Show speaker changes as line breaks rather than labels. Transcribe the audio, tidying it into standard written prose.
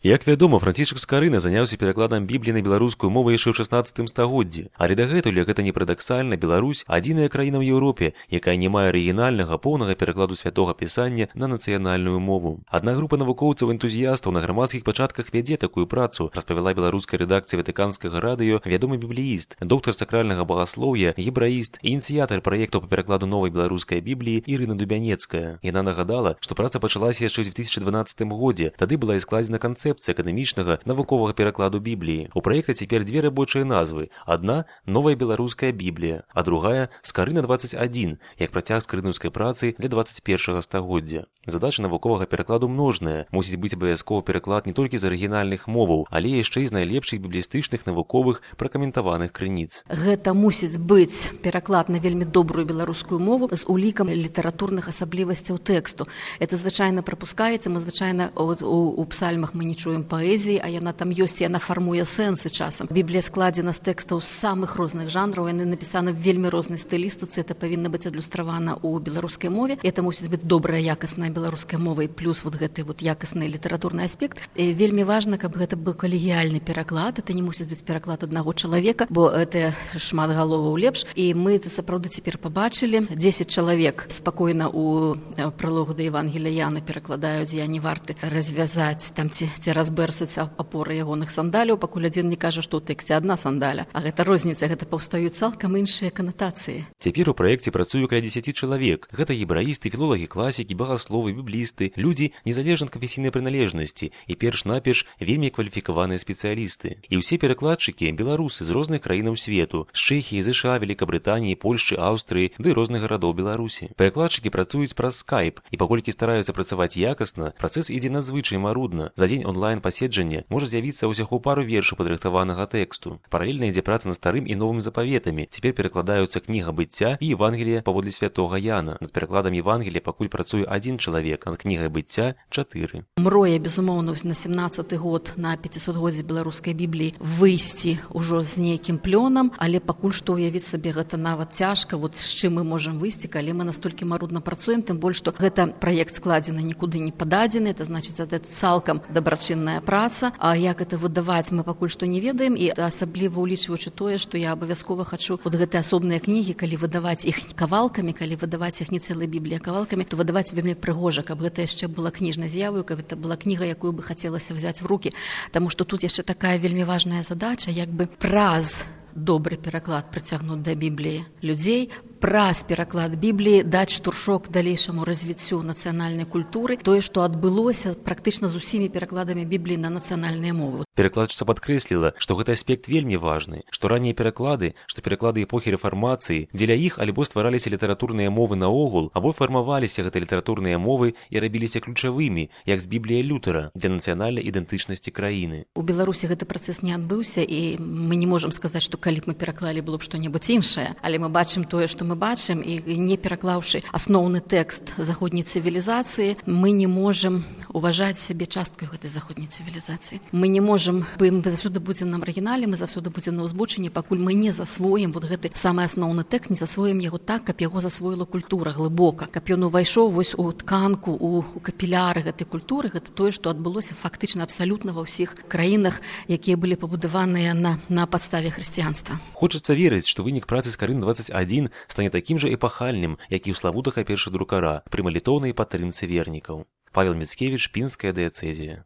Як вядома, Францішак Скарына заняўся перакладам Бібліі на беларускую мову яшчэ ў 16 стагоддзі, але дагэтуль, як гэта не парадаксальна, Беларусь адзіная краіна ў Еўропе, якая не мае арыгінальнага поўнага перакладу святога пісання на нацыянальную мову. Адна група навукоўцаў-энтузіястаў на грамадскіх пачатках вядзе такую працу, распавяла беларускай рэдакцыі Ватыканскага радыё вядомы біблеіст, доктар сакральнага багаслоўя, гебраіст і ініцыятар праекту па перакладу новай беларускай Бібліі Ірына Дубянецкая. Яна нагадала, што праца пачалася яшчэ ў 2012 годзе, тады была і складзена канцэпцыя акадэмічнага навуковага перакладу Бібліі. У праекта цяпер две рабочыя назвы. Адна – новая беларуская Біблія, а другая – Скарына 21, як працяг скарынаўскай працы для 21 стагоддзя. Задача навуковага перакладу множная. Мусіць быць абавязковы пераклад не толькі з арыгінальных моваў, але яшчэ і з найлепшых біблістычных навуковых пракаментаваных крыніц.
Гэта мусіць быць пераклад на вельмі добрую беларускую мову з улікам літаратурных асаблівасцяў тэксту. Это звычайна прапускаецца, мы звычайна у псальмах мы не чуем паэзіі, а яна там ёсць, яна фармуе сэнсы часам. Біблія складзена з тэкстаў з самых розных жанраў, яны напісаны в вельмі рознай стылістыцы, это павінна быць адлюстравана ў беларускай мове. Это мусіць быць добрая, якасная беларуская мова і плюс гэты якасны літаратурны аспект. Вельмі важна, каб гэта быў калегіяльны пераклад, это не мусіць быць пераклад аднаго чалавека, бо это шмат галоваў лепш. І мы это сапраўды цяпер пабачылі. 10 чалавек спакойна у пралогу да Евангелія Яна перакладаюць, я не варты развязаць там ці разбэрсаць апоры ягоных сандаляў, пакуль адзін не кажа, што ў тэксце адна сандаля. А гэта розніца, гэта паўстаюць цалкам іншыя канатацыі.
Цяпер у праекце працуе каля 10 чалавек. Гэта гебраісты, філолагі, класікі, багасловы, біблісты, людзі незалежна ад канфесійнай прыналежнасці і перш-наперш вельмі кваліфікаваныя спецыялісты. І ўсе перакладчыкі беларусы з розных краінаў свету, з Чэхіі, ЗША, Великабрытаніі, Польшчы, Аўстрыі ды розных гарадоў Беларусі. Перакладчыкі працуюць праз скайп, і паколькі стараюцца працаваць якасна, працэс ідзе надзвычай марудна. За дзень онлайн-паседжання можа з'явіцца ўсяго пару вершаў падрыхтаванага тэксту. Паралельна ідзе праца над старым і новым запаветамі. Цяпер перакладаюцца кніга быцця і Евангелія паводле святога Яна. Над перакладам Евангелія пакуль працуе адзін чалавек, а над кнігай быцця 4.
Мроя, безумоўна, на 17-й год на 500годдзе беларускай Бібліі выйсці ўжо з нейкім плёнам, але пакуль што ўявіць сабе гэта нават цяжка, з чым мы можам выйсці, калі мы настолькі марудна працуем, тым больш, што гэта праект складзены нікуды не пададзены, это значыць, гэта цалкам дабрачынная праца, а як это выдаваць мы пакуль што не ведаем, і асабліва улічваючы тое, што я абавязкова хачу гэтыя асобныя кнігі, калі выдаваць іх кавалкамі, калі выдаваць іх не цэлай Бібліі, а кавалкамі, то выдаваць вельмі прыгожа, каб гэта яшчэ была кніжнай з'явою, каб гэта была кніга, якую бы хацелася взяць в рукі, таму што тут яшчэ такая вельмі важная задача, як бы праз добры пераклад прыцягнуць да Бібліі людзей, праз пераклад Бібліі даць штуршок далейшаму развіццю нацыянальнай культуры, тое, што адбылося практычна з усімі перакладамі Бібліі на нацыянальныя мовы.
Перакладчыца падкрэсліла, што гэты аспект вельмі важны, што раннія пераклады, што пераклады эпохі рэфармацыі, дзеля іх альбо ствараліся літаратурныя мовы наогул, або фармаваліся гэтыя літаратурныя мовы і рабіліся ключавымі, як з Біблія Лютера, для нацыянальнай ідэнтычнасці краіны.
У Беларусі гэты працэс не адбыўся, і мы не можам сказаць, што калі б мы пераклалі, было б што-небудзь іншае, але мы бачым тое, што мы бачым, і не пераклаўшы асноўны тэкст заходняй цывілізацыі, мы не можам уважаць сябе часткай гэтай заходняй цывілізацыі. Мы не можам, мы заўсёды будзем на маргінале, мы заўсёды будзем на ўзбочыне, пакуль мы не засвоім гэты самы асноўны тэкст, не засвоім яго так, каб яго засвоіла культура глыбока, каб ён увайшоў у тканку, у капіляры гэтай культуры. Гэта тое, што адбылося фактычна абсалютна ва ўсіх краінах, якія былі пабудаваныя на падставе хрысціянства.
Хочацца верыць, што вынік працы Скарына 21 стане такім жа эпахальным, як і ў славутага першадрукара пры малітоўнай падтрымцы вернікаў. Павел Міцкевіч, Пінская дыяцэзія.